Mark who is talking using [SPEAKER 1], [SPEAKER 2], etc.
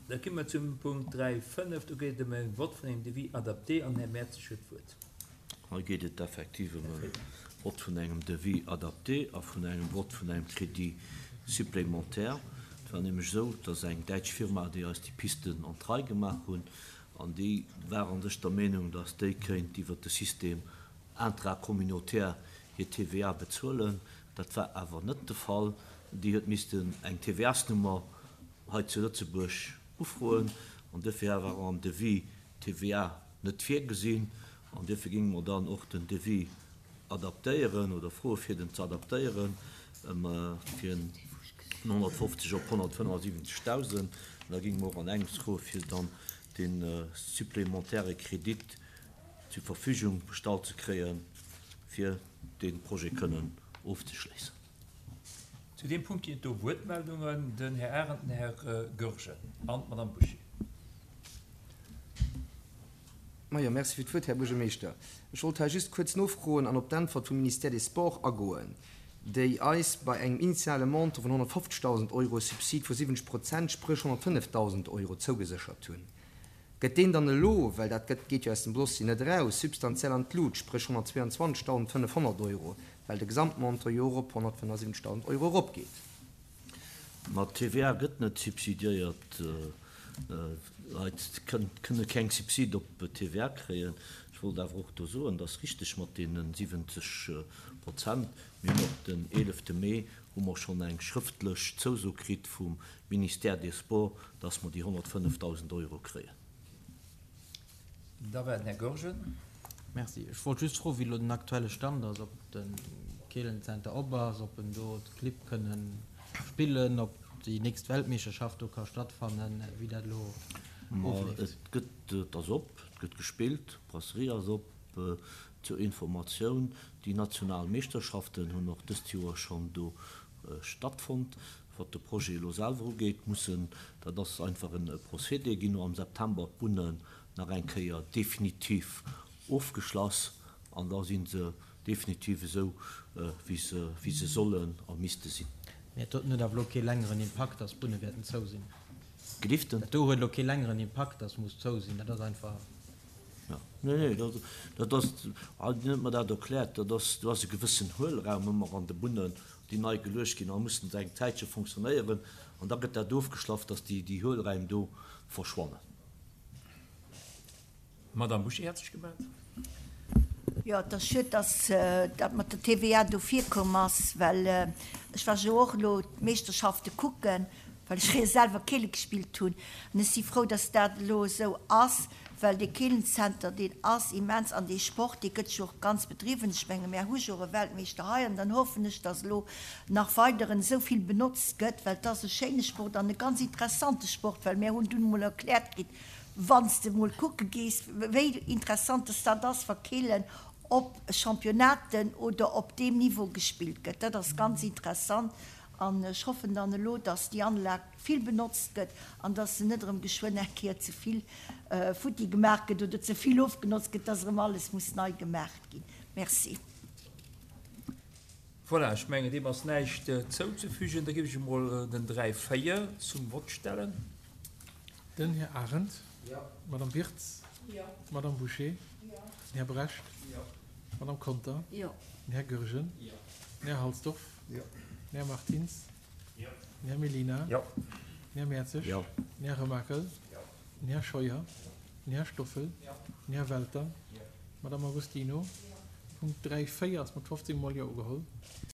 [SPEAKER 1] Da komme mer zum Punkt 3, 5. Do geet et ëm e Vott vun engem Devis adapté an den Här Mertzig huet d'Wuert.
[SPEAKER 2] Hei geet et effektiv ëm e Vott vun engem Devis adapté a vun engem Vott vun engem Crédit supplémentaire. Et war nämlech esou, dass eng däitsch Firma, déi eis déi Pisten an d'Rei gemaach hunn, an déi war a sech der Meenung, dass déi kéint iwwert de System intracommunautaire hir TVA bezuelen. Dat war awer net de Fall. Déi huet missten eng TVA-s-Nummer hei zu Lëtzebuerg ufroen an duerfir war och am Devis d'TVA net virgesinn an duerfir géinge mer dann och den Devis adaptéieren oder froe fir den ze adaptéieren ëm fir vun 150 op 175.000 an da géinge mer och an engems froe fir dann dee supplémentaire Kredit zur Verfügung gestallt ze kréie fir dee Projet kënnen ofzeschléissen.
[SPEAKER 1] Zu deem Punkt ginn et do Wuertmeldungen. Den Här Arendt, den Här Goergen an d'Madame Bouché.
[SPEAKER 3] Majo, merci fir d'Wuert, Här Buergermeeschter. Ech wollt hei just kuerz nofroen an op d'Äntwert vum Ministère des Sports agoen, déi eis bei engem initiale Montant vun 150.000 Euro e Subsid vu 70 Prozent, spréch 105.000 Euro, zougeséchert hunn. Gëtt deen dann elo, well dat gëtt, geet jo aus dem Dossier net eraus, substantiell an d'Lut, spréch 122.500 Euro, well de Gesamtmontant jo och op 175.000 Euro eropgeet?
[SPEAKER 2] Ma d'TVA gëtt net subsidiéiert. Leit kënne keng Subsid op TVA kréien. Ech wollt awer och do soen, et ass richteg mat deene 70 Prozent. Mir hunn och den 11 Mee hu mer schonn eng schrëftlech Zouso kritt vum Ministère des Sports, dass mer déi 105.000 Euro kréien.
[SPEAKER 1] Da war den Här Goergen.
[SPEAKER 4] Merci. Ech wollt just froen, wéi elo den aktuelle Stand ass, ob de Keelenzenter op ass, ob en do d'Clibb kënne spillen, ob déi nächst Weltmeeschterschaft do ka stattfannen, wéi dat elo
[SPEAKER 2] ofleeft. Et gëtt, et ass op, et gëtt gespillt, d'Brasserie ass op. Zur Informatioun, déi national Meeschterschaften hunn och dëst Joer schonn do stattfonnt. Wat de Projet elo selwer ugeet, mussen, dat ass einfach e Procédé, ginn no am September d'Bunnen nach eng Kéier definitiv ofgeschloss an da si se definitiv esou, wéi se, wéi se sollen a misste sinn.
[SPEAKER 4] Mä dat huet awer elo kee längeren Impakt, dass d'Bunne wäerten zou sinn.
[SPEAKER 2] Geliften?
[SPEAKER 4] Dat do huet elo kee längeren Impakt, dass muss zou sinn. Dat ass einfach.
[SPEAKER 2] Jo, nee, nee, dat, dat ass, wien huet mer dat erkläert, dat ass, do ass e gewëssen Huelraum ëmmer an de Bunnen, déi nei geluecht ginn, a mussen se eng Zäitche fonctionnéieren an da gëtt dat ofgeschlaff, dass déi, déi Huelräim do verschwannen.
[SPEAKER 1] D'Madame Bouché hat sech gemellt.
[SPEAKER 5] Jo, et ass schued, dass dat mat der TVA do virkomm ass, well ech war jo och elo d'Meeschterschafte kucken, well ech fréier selwer Keele gespillt hunn. An ech si frou, dass dat elo esou ass, well dee Keelenzenter, deen ass immens an dee Sport, dee gëtt jo och ganz bedriwwen. Ech menge mär hu jo och e Weltmeeschter hei an dann hoffen ech, dass elo nach weideren esou vill benotzt gëtt, well et ass e schéine Sport an e ganz interessante Sport, well mär hunn dunn emol erkläert kritt, wann s de emol kucke gees, wéi interessant dass dat ass, wa Keelen op Championnaten oder op deem Niveau gespillt gëtt. Dat ass ganz interessant an ech hoffen dann elo, dass déi Anlag vill benotzt gëtt an dass se net erëm geschwënn eng Kéier ze vill futti gemaach gëtt oder ze vill ofgenotzt gëtt, dass erëm alles muss nei gemaach ginn. Merci.
[SPEAKER 1] Voilà, ech mengen, deem ass näischt zouzefügen. Da géif ech emol den 3, 4 zum Vott stellen.
[SPEAKER 6] Den Här Arendt. Jo. D'Madame Wirtz. Jo. D'Madame Bouché. Jo. Den Här Brecht. Jo. D'Madame Conter. Jo. Den Här Goergen. Jo. Den Här Halsdorf. Jo. Den Här Martins. Jo. Den Här Mellina.
[SPEAKER 1] Jo.
[SPEAKER 6] Den Här Mertzig.
[SPEAKER 2] Jo.
[SPEAKER 6] Den Här Remakel. Jo. Den Här Scheuer. Den Här Stoffel. Jo. Den Här Welter. Jo. D'Madame Agostino. Jo. Punkt 3, 4 ass mat 15 mol Jo ugeholl.